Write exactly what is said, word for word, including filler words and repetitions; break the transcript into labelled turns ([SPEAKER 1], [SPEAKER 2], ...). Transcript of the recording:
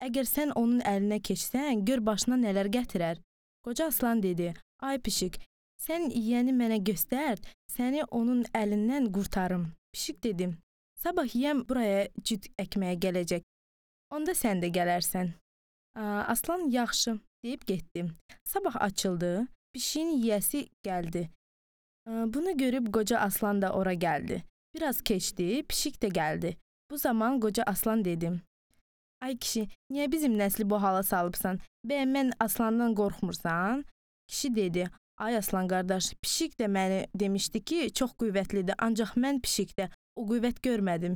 [SPEAKER 1] Əgər sən onun əlinə keçsən, gör başına nələr gətirər. Qoca aslan dedi, ay pişik, sən yiyəni mənə göstər, səni onun əlindən qurtarım. Pişik dedi, sabah yiyəm buraya cüt əkməyə gələcək, onda sən də gələrsən. Aslan yaxşı deyib getdi. Sabah açıldı, pişiyin yiyəsi gəldi. Bunu görüb qoca aslan da ora gəldi. Biraz keçdi, pişik də gəldi. Bu zaman qoca aslan dedi, ay kişi, niyə bizim nəsli bu hala salıbsan? Bəyəm mən aslandan qorxmursan? Kişi dedi, ay aslan qardaş, pişik də məni demişdi ki, çox qüvvətlidir, ancaq mən pişikdə o qüvvət görmədim.